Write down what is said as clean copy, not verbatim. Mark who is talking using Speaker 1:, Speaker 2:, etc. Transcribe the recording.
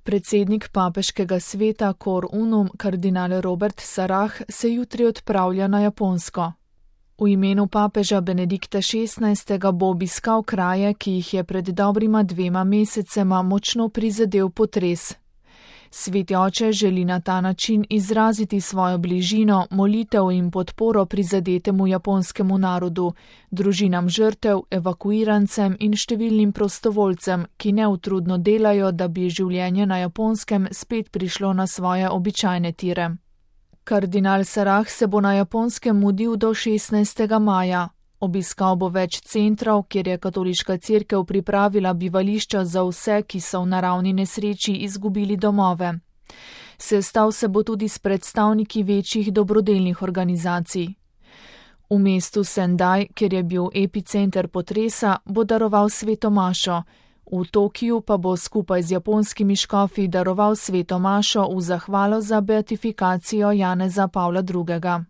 Speaker 1: Predsednik papeškega sveta Cor Unum, kardinal Robert Sarah, se jutri odpravlja na Japonsko. V imenu papeža Benedikta XVI. Bo obiskal kraje, ki jih je pred dobrima 2 mesecema močno prizadel potres. Sveti oče želi na ta način izraziti svojo bližino, molitev in podporo prizadetemu japonskemu narodu, družinam žrtev, evakuirancem in številnim prostovoljcem, ki neutrudno delajo, da bi življenje na Japonskem spet prišlo na svoje običajne tire. Kardinal Sarah se bo na Japonskem mudil do 16. maja. Obiskal bo več centrov, kjer je katoliška cerkev pripravila bivališča za vse, ki so v naravni nesreči izgubili domove. Sestal se bo tudi s predstavniki večjih dobrodelnih organizacij. V mestu Sendai, kjer je bil epicenter potresa, bo daroval sveto mašo. V Tokiju pa bo skupaj z japonskimi škofi daroval sveto mašo v zahvalo za beatifikacijo Janeza Pavla II.